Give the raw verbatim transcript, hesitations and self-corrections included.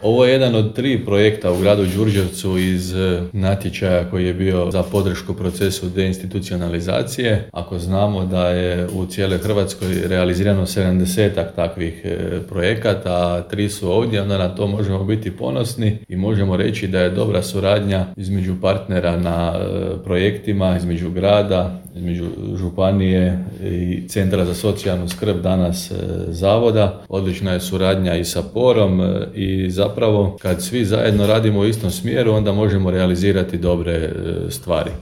Ovo je jedan od tri projekta u gradu Đurđevcu iz natječaja koji je bio za podršku procesu deinstitucionalizacije. Ako znamo da je u cijeloj Hrvatskoj realizirano sedamdesetak takvih projekata, a tri su ovdje, onda na to možemo biti ponosni i možemo reći da je dobra suradnja između partnera na projektima, između grada, između županije i Centra za socijalnu skrb, danas zavoda. Odlična je suradnja i sa Porom i zapravo kad svi zajedno radimo u istom smjeru, onda možemo realizirati dobre stvari.